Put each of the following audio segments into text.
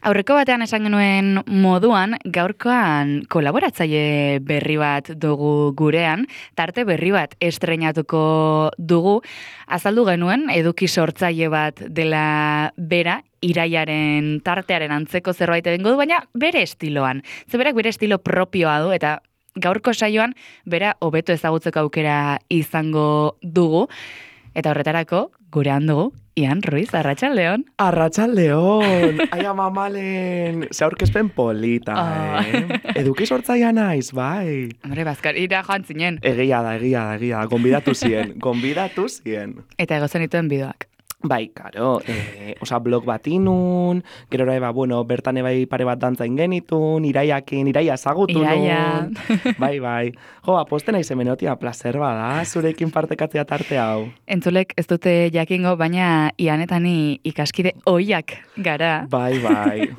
Aurreko batean esan genuen moduan, gaurkoan kolaboratzaile berri bat dugu gurean, tarte berri bat estreinatuko dugu, azaldu genuen eduki sortzaile bat dela bera, Iraiaren tartearen antzeko zerbait egingo du, baina bere estiloan. Berak bere estilo propioa du, eta gaurko saioan bera hobeto ezagutzeko aukera izango dugu, eta horretarako gurean dugu Ian Ruiz, arratsaldeon. Arratsaldeon, ai amamalen, ze aurkezpen polita, Eduki sortzailea naiz, bai. Hombre, Bazkarira joan zinen. Egia da, gonbidatu zien. Eta egozen dituen bideoak. Bai, karo, blog bat inun, gero bueno, bertan bai pare bat dantzain genitun, Iraia ezagutu nun. Bai. Jo, posten naiz hemenotia, placer bada, zurekin partekatzea tarte hau. Entzulek ez dute jakingo, baina Ianetani ikaskide ohiak gara. Bai.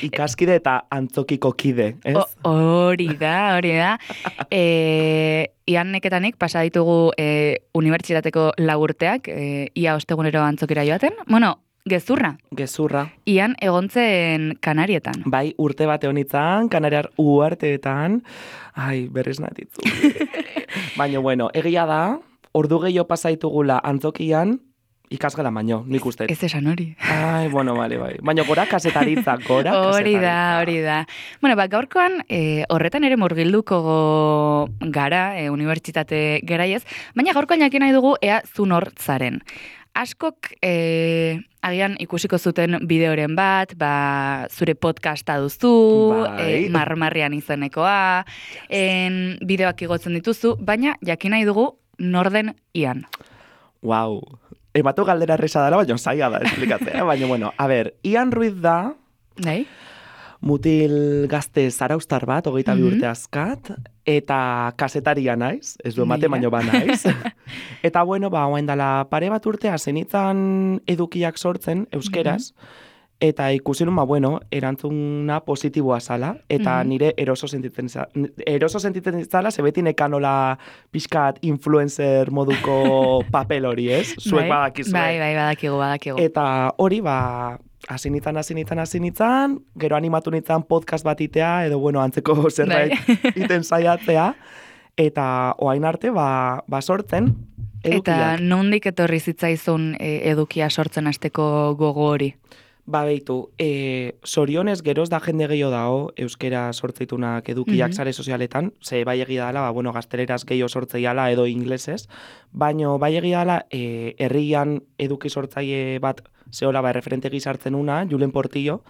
Ikaskide eta antzokiko kide, ez? Hori da. Ian neketanik pasa ditugu unibertsitateko lagurteak, ia ostegunero antzokira joaten. Bueno, gezurra. Ian egontzen Kanarietan. Bai, urte bate honitzan, Kanariar uarteetan. Ai, berriz natitzu. Baina, bueno, egia da, ordu gehiago pasa ditugula antzokian, ikasgela baino, nik uste. Ez esan hori. Ai, bueno, bai. Baina gora kasetaritza, Hori da. Bueno, gaurkoan horretan ere murgilduko gara, unibertsitate garaiez, baina gaurkoan jakin nahi dugu ea zu nortzaren. Askok agian ikusiko zuten bideoren bat, zure podcasta duzu, marmarrian izenekoa, bideoak igotzen dituzu, baina jakin nahi dugu norden Ian. Wow. Ematu galdera erresa dara, baina zaila da esplikatzea. Baina, bueno, a ber, Ian Ruiz da, mutil gazte zaraustar bat, 22 urte azkat, eta kasetaria naiz, ez du emate, baino ba naiz. Eta, bueno, oain dela pare bat urtea zenitzan edukiak sortzen, euskeraz, eta ikusi nun, erantzuna positiboa zala, eta nire eroso sentitzen zala, zebeti nekanola pixkat influencer moduko papel hori, ez? Zuek badakizue. Bai, badakigu. Eta hori, hasi nintzen, gero animatu nintzen podcast bat itea, edo, antzeko zerbait iten saiatzea, eta oain arte, sortzen edukiak. Eta nondik etorri zitzaizun edukia sortzen hasteko gogo hori? Beitu, sorionez geroz da jende gehiago dago euskera sortzeitunak edukiak sare sozialetan, ze bai egia dela, gazteleraz gehiago sortzeiala edo inglesez, baino bai egia dela herrian eduki sortzaile bat zehola referente gizartzen una, Julen Portillo,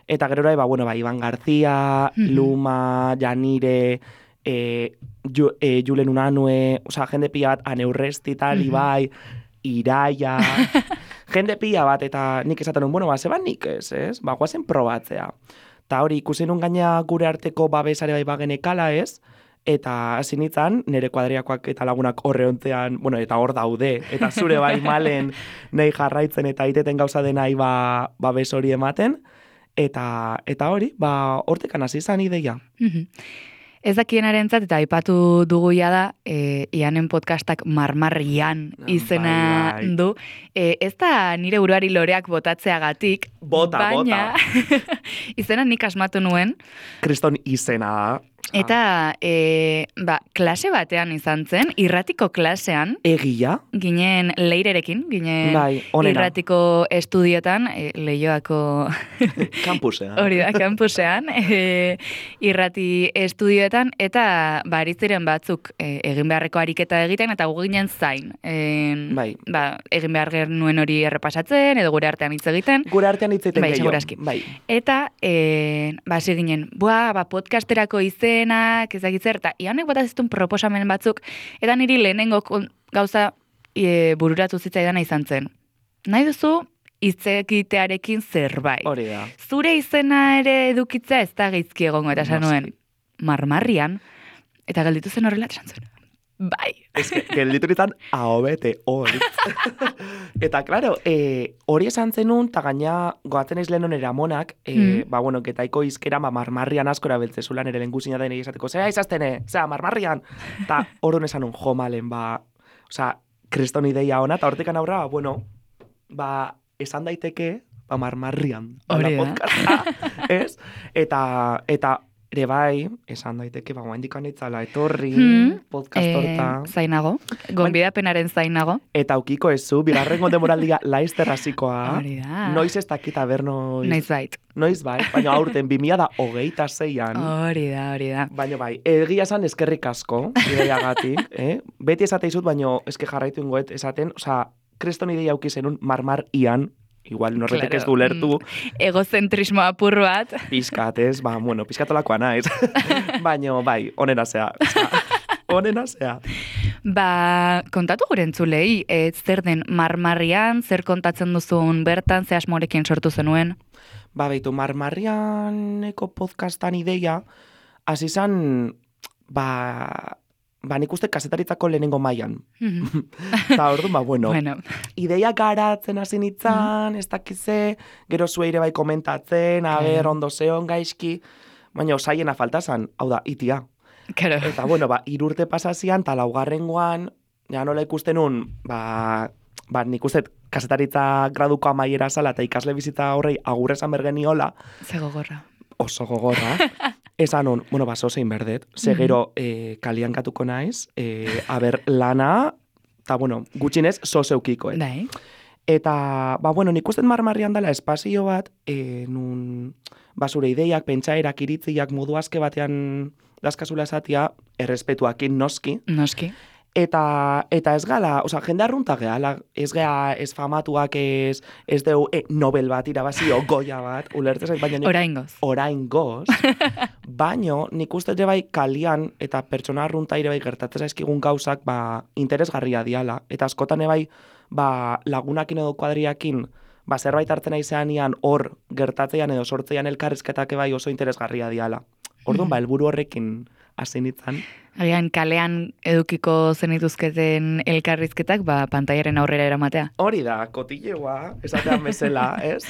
eta gero Iban Garzia, Luma, Janire, Julen Unanue, jende pila bat, Aneurresti tal, Ibai, Iraia, jende pila bat, eta nik esaten nun, zeba nik ez? Guazen probatzea. Ta hori, ikusi nun gaina gure arteko babesare bai bagenekala ez, eta hasi nintzen, nire kuadriakoak eta lagunak horre ontzean, eta hor daude, eta zure bai malen nahi jarraitzen eta iteten gauza denai babes hori ematen, eta hori, hortekan hasi izan ideia. Ez dakienarentzat eta aipatu dugu da Ianen podcastak marmarrian izena du. Ez da nire buruari loreak botatzeagatik, baina izena nik asmatu nuen. Kriston izena da. Eta klase batean izan zen, irratiko klasean. Egia? Ginen leirerekin, irratiko estudiotan, Leioako... Kampusean. Hori da, kampusean, irrati estudioetan, eta baritziren batzuk egin beharreko ariketa egiten, eta gu ginen zain. Egin behar genuen hori errepasatzen, edo gure artean hitz egiten. Gure artean hitz egiten gehiago. Eta, hasi ginen, podcasterako izenak, ezagitzer, eta Ianek bat aziztun proposamen batzuk, eta niri lehenengo gauza bururatu zitzaidana izan zen. Nahi duzu, hitzekitearekin zerbait. Hori da. Zure izena ere edukitzea ez da geizki egongo, eta esan nuen, marmarrian, eta gelditu zen horrela, esan zuen. Bai. Ez que, gelditu nintzen ahobete, hori. Eta, klaro, hori esan zenun, eta gaina goatzen ez lehen onera amonak, getaiko izkera marmarrian askora beltzezulan ere lenguzina da esateko, zera izaztene, marmarrian. Eta hori esan un jomalen, kriston ideia ona, eta hortekan aurra, esan daiteke, marmarrian. Hori da. Podcasta, ez? Eta ere bai, esan daiteke, guaindikan itzala etorri, podcast horta. Zainago, gonbidapenaren zainago. Eta aukiko ezu, bigarrengo demoraldia laizter hasikoa. Hori da. Noiz ez dakita ber Noiz bait. Noiz bai, baina aurten 2026an. Hori da. Baina bai, egia esan eskerrik asko, ideiagatik, Beti esate izut, baina eske jarraitu ingoet esaten, osea, kreston ideia auki zenun marmar ian, igual norretek ez du lertu. Egozentrismo apur bat. Pizkat, ez? Pizkatolakoa naiz. Baina bai, onena zea. Onena zea. Kontatu gure entzulei, zer den marmarrian, zer kontatzen duzun bertan, ze asmorekin sortu zenuen? Beitu, marmarrianeko podcastan ideia, hasi zan, nik uste kasetaritzako lehenengo mailan. Eta orduan, bueno. Ideia garatzen hasi nintzen, ez dakize, gero zueire bai komentatzen, ondo zeon gaizki, baina osaiena faltazan, hau da, itia. Claro. Eta, 3 urte pasazian, eta laugarrengoan, ja nola ikusten un, nik uste kasetaritza graduko amaiera zala, eta ikasle bizita horrei agurrezan bergeniola. Ze gogorra. Oso gogorra. Esan hon, zozein berdet, gero kalian katuko naiz, lana, eta, gutxinez, zozeukiko, Dai. Eta, nik uste marmarrian dela espazio bat, nun, zure ideiak, pentsaerak, iritziak, modu aske batean dazkazula esatia, errespetuakin noski. Noski. Eta ez gala, jende arrunta gehala, ez gea, ez famatuak, ez deu Nobel bat irabazio, Goya bat, ulertzen zait, baina oraingoz, baina nik uste ere bai kalian eta pertsona arrunta ere bai gertatzen zaizkigun gauzak, interesgarria diala, eta askotan ere bai, lagunakin edo kuadriakin, zerbait hartzen aizean hor gertatzean edo sortzean elkarrizketak bai oso interesgarria diala. Orduan, helburu horrekin hasi nintzen. Agian, kalean edukiko zenituzketen elkarrizketak, pantaiaren aurrera eramatea. Hori da, kotilleua, esatean bezala, ez?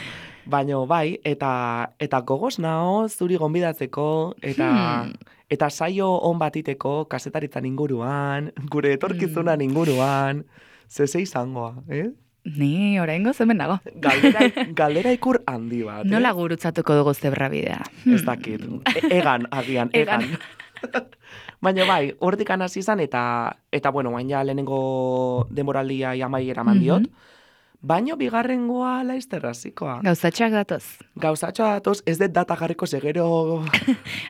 Baina bai, eta gogoz nao zuri gonbidatzeko, eta saio on batiteko kasetaritzan inguruan, gure etorkizunan inguruan, zeze izangoa, Ni oraingo hemen nago. Galdera ikur handi bat. Nola gurutzatuko dugu zebra bidea? Ez dakit. Egan. Baina bai, hortik hasi izan eta bain ja lehenengo demoraldia amaiera mandiot. Baina bigarrengoa laizterrazikoa. Gauzatxoak datoz, ez dut data jarriko segero...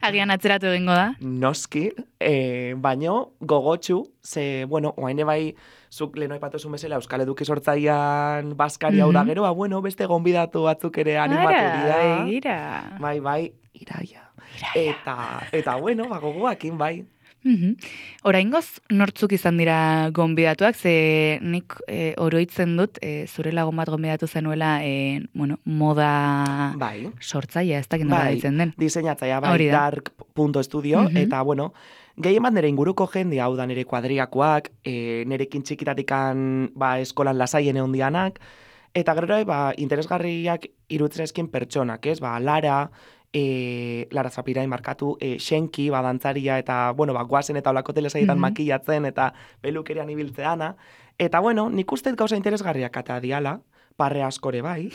Agian atzeratu egingo da. Noski, baina gogotxu, oaine bai, zuk leheno aipatuzun bezala Euskal Eduki sortzaian Baskari hau da gero, beste gonbidatu batzuk ere animatu dira. Bai, iraia. Eta gogoakin bai. Oraingoz nortzuk izan dira gonbidatuak, ze nik oroitzen dut, zure lagun bat gonbidatu zenuela, moda sortzaia, ez dakit nola ditzen den. Diseinatzaia, dark.studio, eta gehien bat nire inguruko jende, hau da nire kuadriakoak, nirekin txikitatikan eskolan lasaien egon dianak, eta gero interesgarriak irutzen eskin pertsonak, ez? Lara, Lara Zapirai markatu, Xenki, dantzaria, eta, guazen eta olako telesaietan makillatzen, eta pelukerian ibiltzeana. Eta, nik uste gauza interesgarriak eta diala, parre askore bai,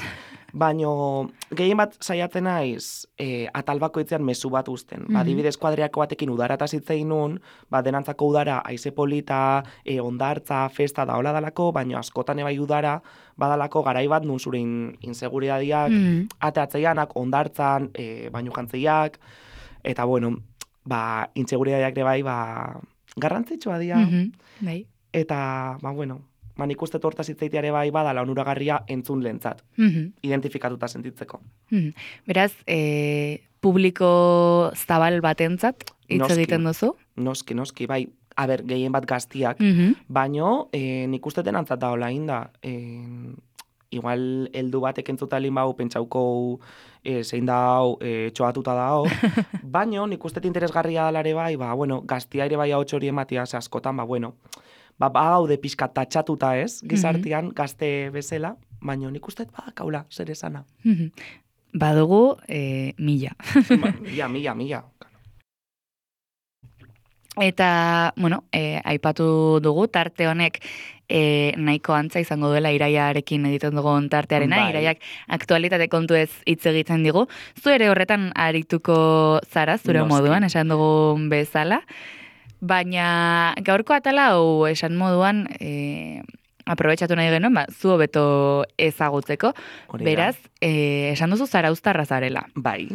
baino gehien bat saiatzen naiz atal bakoitzean mezu bat uzten. Adibidez kuadriako batekin udara eta zitzein nun, denantzako udara aize polita, ondartza, festa da hola dalako, baino askotan bai udara, badalako garai bat nun zure inseguridadiak, ateatzeianak, ondartzan, baino jantzeiak, eta inseguridadiak ere bai, garrantzitsua dira. Eta, nik uste tortaz hitzaiteare bai badala onuragarria entzun lehentzat, identifikatuta sentitzeko. Beraz, publiko zabal batentzat hitz egiten duzu? Noski, bai. Gehien bat gaztiak, baino nik uste denantzat da hola inda. Igual heldu batek entzutalin bau pentsauko zein dau, txoatuta dao, baino nik uste interesgarria dalare bai, gaztia ere bai hau txori ematia, askotan, gaude pixka tatxatuta ez, gizartian, gazte bezala, baina nik uste kaula, zer esana. Badugu, mila. Mila. Eta, aipatu dugu, tarte honek nahiko antza izango duela iraiarekin egiten dugun tartearena, Bai. iraiak aktualitate kontu ez hitz egiten digu. Zu ere horretan arituko zara, zure Noski. moduan, esan dugun bezala, baina gaurko atala hau esan moduan, aprobetxatu nahi genuen, zu hobeto ezagutzeko, Hori da. beraz, esan duzu zarauztarra zarela. Bai.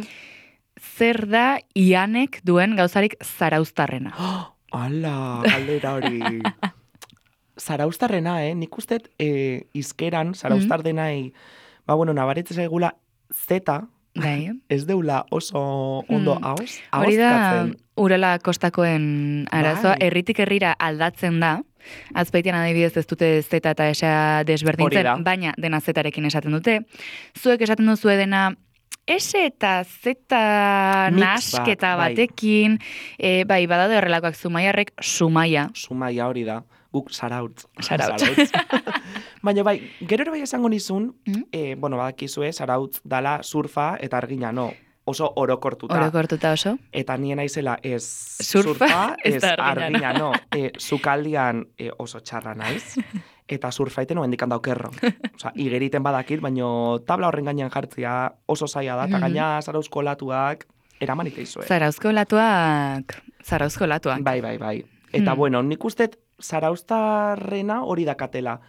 Zer da Ianek duen gauzarik zarauztarrena? Ala, galdera hori. Zarauztarrena, nik uste izkeran, zarauztar denai, nabaritzen zaigula zeta, Bai. ez deula oso ondo hauz, Hori da, ahozkatzen. Urala kostakoen arazoa, Bai. herritik herrira aldatzen da, azpeitian adibidez ez dute zeta eta esa Hori desberdintzen, da. baina dena zetarekin esaten dute. Zuek esaten duzue dena ese eta zeta Mix nasketa bat, bai. batekin, bai, badaude horrelakoak Zumaiarrek Sumaia. Sumaia hori da, guk zarautz. Zarautz. Baina bai, gero ere bai esango nizun, Mm? badakizue, zarautz dala surfa eta argina, no? Oso orokortuta. Orokortuta oso. Eta nien naizela ez Surfa, ez ez da argina, argina, no. Sukaldian oso txarra naiz. Eta surfaiten oendikan daukerro. Osa, igeriten badakit, baino tabla horren gainean jartzia oso zaila da, eta gaina zarauzko latuak eraman iteizue. Zarauzko latuak. Bai. Eta, nik ustet zarauztarrena hori dakatela.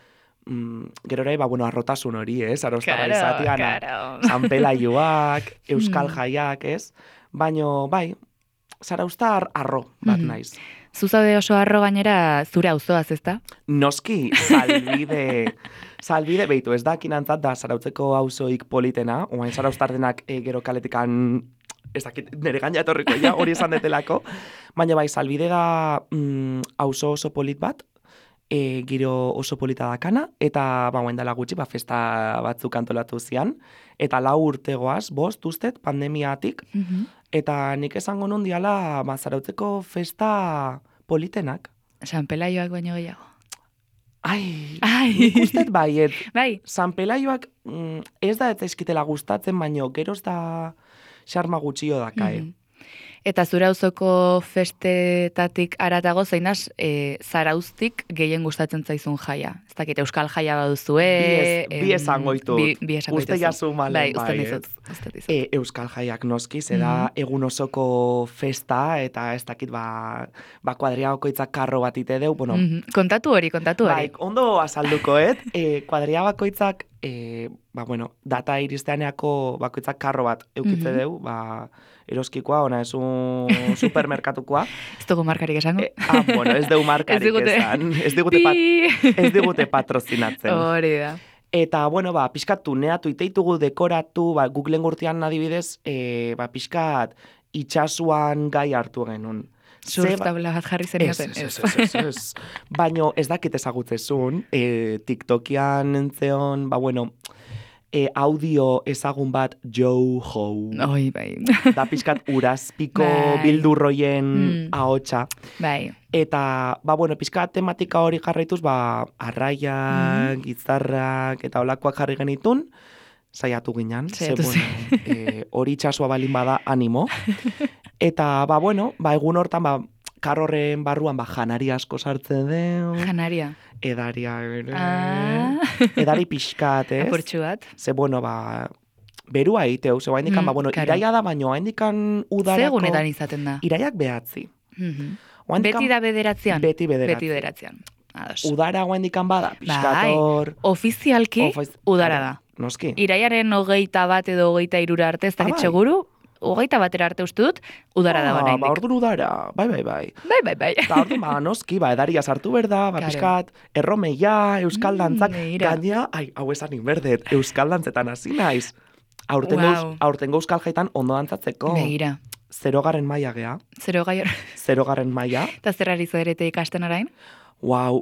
Gero ere, arrotasun hori, zarauztarra izatian. Claro. Sanpelaioak, euskal jaiak, ez? Baino, bai, zarauztar arro bat naiz. Zuzaude oso arro gainera zure auzoaz, ezta? Noski, salbide, beitu, ez da kinantzat da zarautzeko auzoik politena, oain zarauztardenak gero kaletikan, ez dakit, nire gaina etorriko ja, hori esan detelako, baina bai, salbide da auzo oso polit bat, giro oso polita dakana, eta dela gutxi, festa batzuk antolatu zian, eta 4 urtegoaz, 5 ustet, pandemiatik, eta nik esango nun diala, zarautzeko festa politenak. San Pelaioak baino gehiago. Ai, Ai. nik ustet baiet. Bai. San Pelaioak ez da ez eskitela gustatzen, baino geroz da xarma gutxio dakae. Eta zure auzoko festetatik aratago zein da zarauztik gehien gustatzen zaizun jaia. Ez dakit, euskal jaia baduzue. Bi esango ditut. Bi esango Uste jazu malen, bai. bai, Uste dizut. Euskal jaiak noski, da egun osoko festa, eta ez dakit, kuadria bakoitzak karro bat ite deu, Kontatu hori. Bai, ondo azalduko, kuadria bakoitzak, data iristeaneako bakoitzak karro bat eukitze deu, eroskikoa, ona ez un supermerkatukoa. Ez dugu markarik esango? Ez dugu markarik esan. Ez digute patrozinatzen. Hori da. Eta, pixkat tuneatu, iteitugu, dekoratu, Googleen gurtian adibidez, pixkat itxasuan gai hartu genuen. Surf tabla bat jarri zen ioten. Ez. Baino ez dakit ezagutzezun, TikTokian entzeon, audio ezagun bat Joe-Ho. Oi, bai. Da pixkat urazpiko Bai. bildurroien ahotsa. Bai. Eta, pixkat tematika hori jarraituz, arraiak, gizarrak, eta olakoak jarri genitun, saiatu ginen. Hori itxasua balin bada animo. Eta, egun hortan, karrorren barruan, janari asko sartzen den. Janaria. Edaria, edari pixkat, ez? Apurtxu bat. Ze, berua egiteu, ze haindikan, iraia da, baino, haindikan udarako... Segunetan izaten da. Iraiak behatzi. Beti da bederatzean? Beti bederatzean. Beti bederatzean. Ados. Udara haindikan bada, pixkator... Ofizialki udara da. Noski. Iraiaren 21 edo 23 arte, ez dakit seguru, 21 arte uste dut, udara da bana indik. Orduan udara, bai. Bai. Eta orduan, noski, edaria sartu berda, pixkat, erromeia, euskal dantzak, gaina, hau esan inberdet, euskal dantzetan hasi naiz. Aurtengo euskal jaitan ondo dantzatzeko. Begira. 0. maila gea. 0. maila. Eta zer ari zoerete ikasten orain?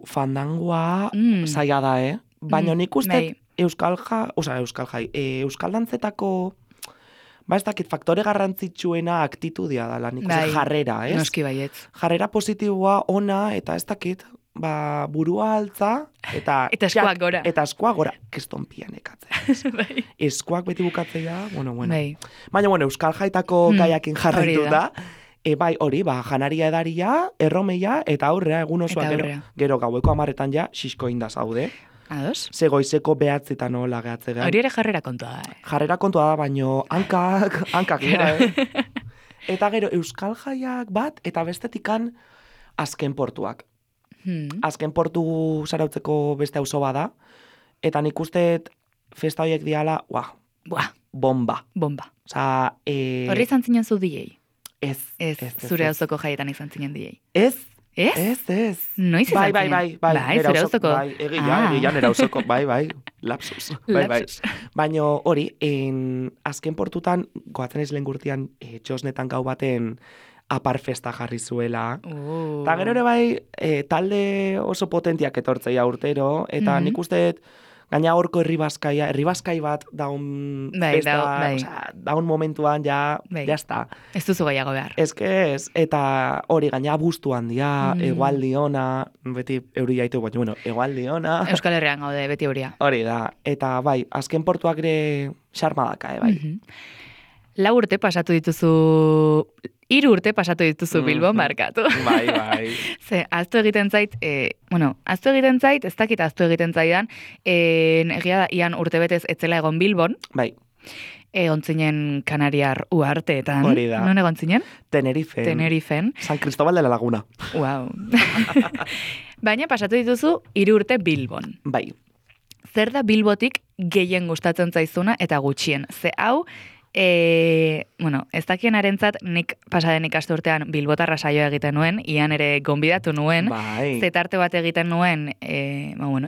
Fandangoa zaila da, Baina nik uste euskal dantzetako, ez dakit, faktore garrantzitsuena aktitudia dela, nik uste jarrera, ez? Noski baietz. Jarrera positiboa ona, eta ez dakit, burua altza, eta eskuak gora. Eta eskuak gora, keston pian ekatzen. Eskuak beti bukatzea, bueno. Bai. Baina, euskal jaitako gaiakin jarraitu da, Bai, hori, janaria edaria, erromeia, eta aurrea, egun osoa, gero gaueko 10etan ja, xisko inda zaude. Ados? Ze goizeko 9etan hola gehatze Hori ere jarrera kontua da. Jarrera kontua da, baino hankak dira, Eta gero, Euskal Jaiak bat, eta bestetikan azken portuak. Azken portu zarautzeko beste auzo bada, eta nik usteet festa horiek diala, bomba. Osa, Horri izan zinen zu DJ? Ez. Zure auzoko jaietan izan zinen DJ? Ez. Ez. Noiz izan zinen? Bai, zure auzoko? Bai, egia nera auzoko, bai, lapsus. Bai. Baina hori, azken portutan, goatzen ez lehen gurtian, txosnetan gau baten apar festa jarri zuela. Eta gero ere bai, talde oso potentiak etortzeia urtero, eta nik usteet, gaina horko herribaskai bat daun festa, daun momentuan jazta. Ez duzu gehiago behar. Ez, eta hori gaina abuztuan dia, egualdi ona, beti euri jaitu, baina, egualdi ona. Euskal Herrian gaude, beti euria. Hori da, eta bai, azken portuak ere xarmadaka, bai. 3 urte pasatu dituzu Bilbon markatu. Bai. Ze, aztu egiten zait, ez dakit aztu egiten zaidan, egia da, ian urtebetez etzela egon Bilbon. Bai. Egon zinen Kanariar uharteetan. Hori da. Non egon zinen? Tenerifen. San Cristóbal de la Laguna. Wow. Baina pasatu dituzu 3 urte Bilbon. Bai. Zer da Bilbotik gehien gustatzen zaizuna eta gutxien? Ze hau, ez dakien arentzat, nik pasaden ikasturtean Bilbotarra saioa egiten nuen, ian ere gonbidatu nuen, zetarte bat egiten nuen,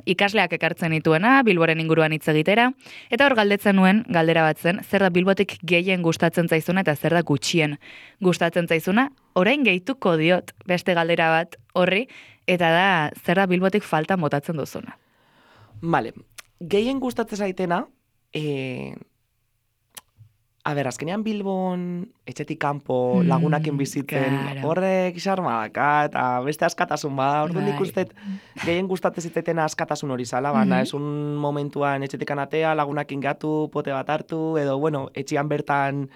ikasleak ekartzen nituena, Bilboren inguruan hitz egitera, eta hor galdetzen nuen, galdera bat zen, zer da Bilbotik gehien gustatzen zaizuna eta zer da gutxien gustatzen zaizuna, orain gehituko diot beste galdera bat horri, eta da zer da Bilbotik falta botatzen duzuna. Vale, gehien gustatzen zaitena, azkenean Bilbon, etxetik kanpo, lagunakin bizitzen, horrek xarmadaka, eta beste askatasun bada, orduan nik ustet gehien gustatzen zitetena askatasun hori zala, baina ez un momentuan etxetik anatea, lagunakin gatu, pote bat hartu, edo, etxian bertan,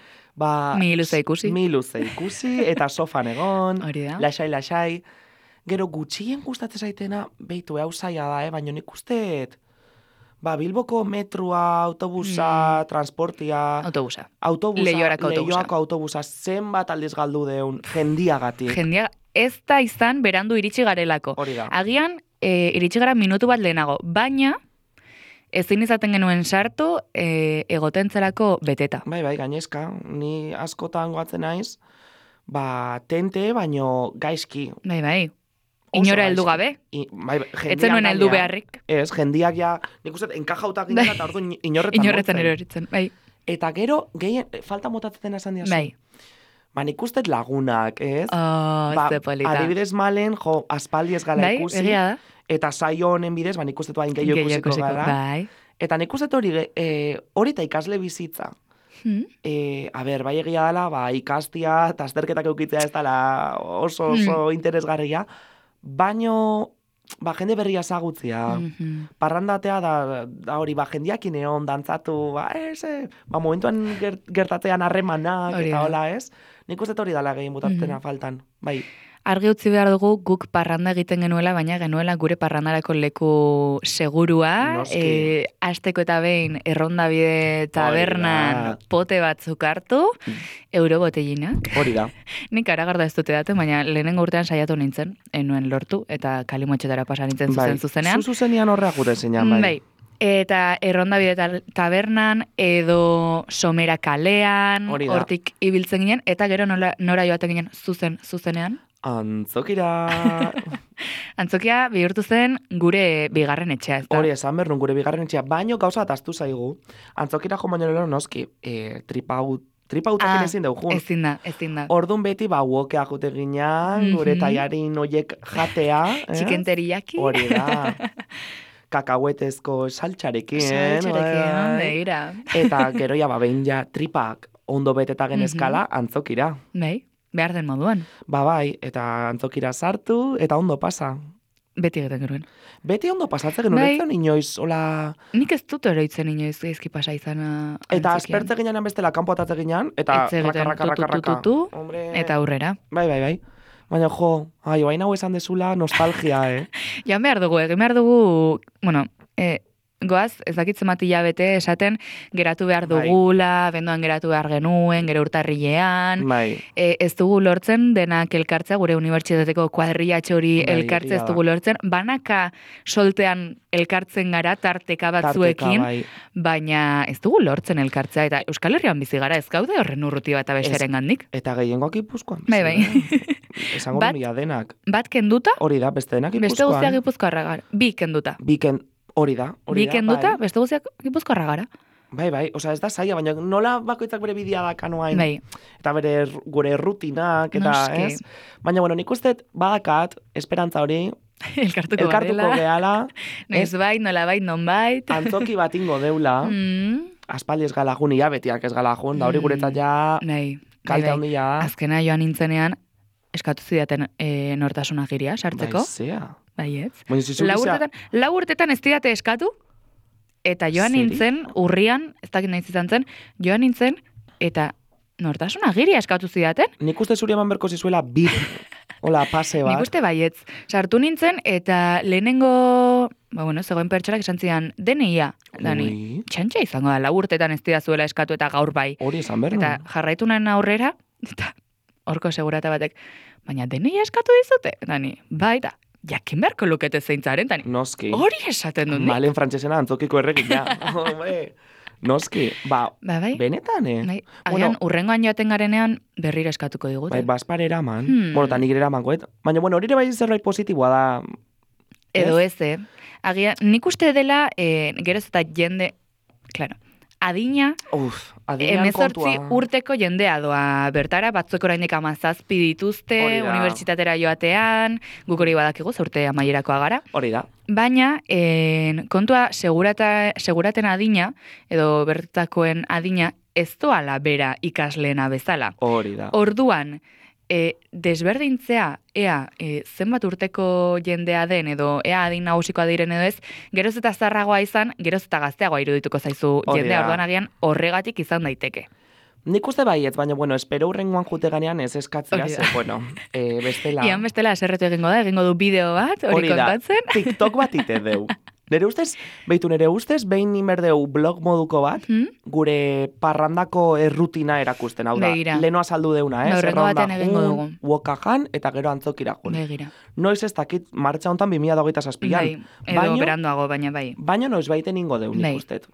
miluze ikusi, eta sofan egon, lasai, gero gutxien gustatzen zaitena, behitu, hau zaila da, baina nik ustet, Bilboko metrua, autobusa, transportia... Leioako autobusa, zenbat aldiz galdu deun, jendiagatik. Ez da izan berandu iritsi garelako. Hori da. Agian, iritsi gara minutu bat lehenago, baina ezin izaten genuen sartu, egotentzelako beteta. Bai, gainezka, ni askotan goatzen naiz, tente, baino gaizki. Bai. Inora heldu gabe? Etzen nuen heldu beharrik. Ez, jendiak nik uste, enkajautak ginen eta ordu inorretan eroritzen. Bai. Eta gero, gehien, falta motatzen esan diazu. Bai. Nik uste lagunak, ez? Ze polita. Adibidez malen, aspaldi ez gala ikusi. Egia da. Eta saio honen bidez, nik uste hain gehiago ikusiko gara. Bai. Eta nik uste hori eta ikasle bizitza. Bai egia dela, ikastia, eta azterketak eukitzea ez dela oso interesgarria, baino, jende berria ezagutzea, parrandatea da hori, jendiakin egon, dantzatu, momentuan gertatzean harremanak, eta hola ez, nik uste hori dala gehien botatzena faltan, bai. Argi utzi behar dugu guk parranda egiten genuela, baina genuela gure parrandarako leku segurua, asteko eta behin errondabide tabernan pote batzuk hartu, eurobotellinak. Hori da. Nik aragarda ez dute daten, baina lehenengo urtean saiatu nintzen, enuen lortu, eta kalimotxetara pasa nintzen zuzenean. Zuzenean horreak gute zeinan, bai. Eta errondabide tabernan, edo somera kalean, hortik ibiltzen ginen, eta gero nora joaten ginen zuzenean. Antzokira... Antzokia bihurtu zen gure bigarren etxea, ez da? Hori, esan behar gure bigarren etxea, baino gauza bat aztu zaigu. Antzokira jo baino lero noski, tripautakin ezin dugu. Ezin da. Orduan beti, uokea jute ginean, gure taiarin oiek jatea. Txikenteriaki. Hori da. Kakahuetezko saltxarekin. Begira. Eta gero behin tripak ondo beteta genezkala antzokira. Bai. Behar den moduan. Bai, eta antzokira sartu, eta ondo pasa. Beti egiten genuen. Beti ondo pasatzen genuen, Bai. ez zen inoiz, hola... Nik ez dut oroitzen inoiz gaizki pasa izana Eta antzokian. aspertze ginean bestela, kanpo atatze ginean, eta Hitz egiten raka. tutututu, Hombre... eta aurrera. Bai. Baina jo, baina hau esan dezula nostalgia, Jan behar dugu, egin behar dugu, bueno, goaz, ez dakit zenbat hilabete esaten geratu behar dugula, bendoan geratu behar genuen, gero urtarrilean, Bai. Ez dugu lortzen denak elkartzea, gure unibertsitateko kuadrillatxo hori Bai, elkartze ez egia dugu lortzen, banaka soltean elkartzen gara tarteka batzuekin, bai. baina ez dugu lortzen elkartzea, eta Euskal Herrian bizi gara, ez gaude horren urruti bat abestaren gandik. Eta gehiengoak Gipuzkoan. Bai. Esango Bat- mila denak. Bat kenduta, Hori da, beste denak beste Gipuzkoan. guztiak Gipuzkoarra gara. Bi kenduta. Hori da. Bi kenduta, bai. beste guztiak Gipuzkoarra gara. Bai, osea ez da zaila, baina nola bakoitzak bere bidea dakanoain. Bai. Eta gure rutinak, eta Noski. ez? Baina, bueno, nik uste badakat, esperantza hori, Elkartuko elkartuko garela. gehala, Noiz bait, nola bait, non bait. antzoki bat ingo deula, aspaldi ez gala jun, betiak ez gala jun, da hori guretzat ja, Bai. kalte handia. Azkena joan nintzenean, eskatu zidaten nortasun agiria sartzeko. Baizea. Baietz. Baina zizuk Lau urtetan ez didate eskatu, eta joan Serio? nintzen, urrian, ez dakit nahi izan zen, joan nintzen, eta nortasun agiria eskatu zidaten. Nik uste zuri eman berko zizuela bip, hola, pase bat. Nik uste baietz. Sartu nintzen, eta lehenengo, zegoen pertsonak esan zidan, DNI-a. Dani, Ui. txantxa izango da, lau urtetan ez didazuela eskatu eta gaur bai. Hori esan behar Eta jarraitu nahen aurrera, eta horko segurata batek, baina DNI-a eskatu dizute? Dani, bai, eta jakin beharko lukete zeintzaren, Dani. Noski. Hori esaten dut nik. Malen frantsesena antzokiko erregina. Noski, Bai. benetan, Bai, agian, urrengoan joaten garenean berriro eskatuko digute. Bai, baspar eraman. Hmm. Bueno, eta nik ere eramangoet. Baina, bueno, hori ere bai zerbait positiboa da. Edo ez, Agian, nik uste dela, geroz eta jende, claro, adina, Adinean 18 kontua. urteko jendea doa bertara, batzuek oraindik 17 dituzte, Hori da. unibertsitatera joatean, guk hori badakigu, ze urte amaierakoa gara. Hori da. Baina, kontua seguraten adina, edo bertakoen adina, ez doala bera ikasleena bezala. Hori da. Orduan, desberdintzea, zenbat urteko jendea den, edo ea adin nagusikoa diren edo ez, geroz eta zarragoa izan, geroz eta gazteagoa irudituko zaizu Hori jendea, da. orduan agian horregatik izan daiteke. Nik uste baietz, baina, bueno, espero hurrengoan jute ganean ez eskatzea, Hori da. ze, bueno, bestela... Ian bestela eserretu egingo du bideo bat, hori da, kontatzen. TikTok bat ite deu. Nere ustez, behin inberdeu blog moduko bat, gure parrandako errutina erakusten, hau da. Begira. Leno azaldu deuna, ez? Horrengo batean egingo dugu. Wokajan, eta gero antzokira jun. Begira. Noiz ez dakit, martxa hontan 2027an. Bai, edo beranduago, baina bai. Baina noiz baiten ingo deu, nik Bai. ustet.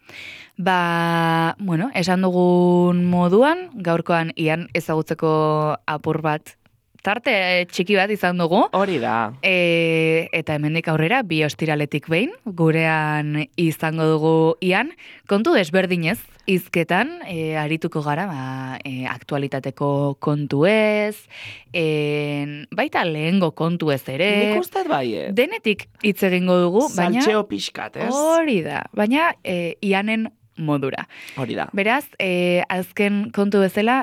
Esan dugun moduan, gaurkoan Ian ezagutzeko apur bat, tarte txiki bat izan dugu. Hori da. Eta hemendik aurrera, bi ostiraletik behin, gurean izango dugu Ian, kontu desberdinez, hizketan arituko gara, aktualitateko kontuez, baita lehengo kontuez ere. Nik ustet baiet. Denetik hitz egingo dugu, baina... Saltxeo pixkat, ez? Hori da, baina Ianen modura. Hori da. Beraz, azken kontu bezala,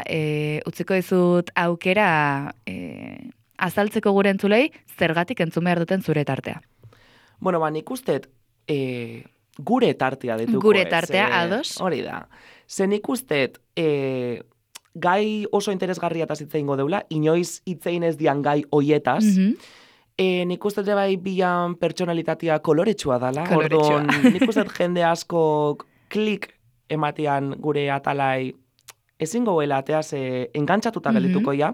utziko dizut aukera azaltzeko gure entzulei, zergatik entzun behar duten zure tartea. Bueno, nik ustet, gure tartea dituko. Gure tartea, ados? Hori da. Ze nik ustet, gai oso interesgarria eta hitz egingo deula, inoiz hitz egin ez dian gai hoietaz, nik uste bai bilan pertsonalitatea koloretsua dala. Koloretsua. Orduan, nik uste jende asko klik ematean gure atalai ezingo goela ateaz engantzatuta geldituko ja.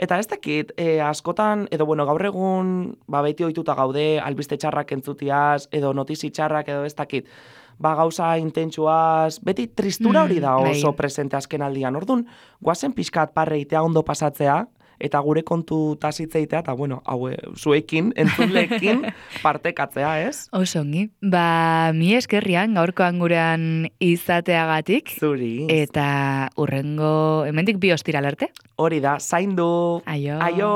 Eta ez dakit, askotan, edo bueno, gaur egun, beti ohituta gaude, albiste txarrak entzutiaz, edo notizi txarrak, edo ez dakit, gauza intentsuaz, beti tristura hori da oso presente azken aldian. Orduan, guazen pixkat parreitea ondo pasatzea, eta gure kontu tasitzeitea, eta bueno, zuekin, entzunleekin partekatzea, ez? Oso ongi. Mi eskerrian, gaurkoan gurean izateagatik. Zuri. Eta urrengo, hemendik bi ostiral arte. Hori da, zaindu. Aio. Aio.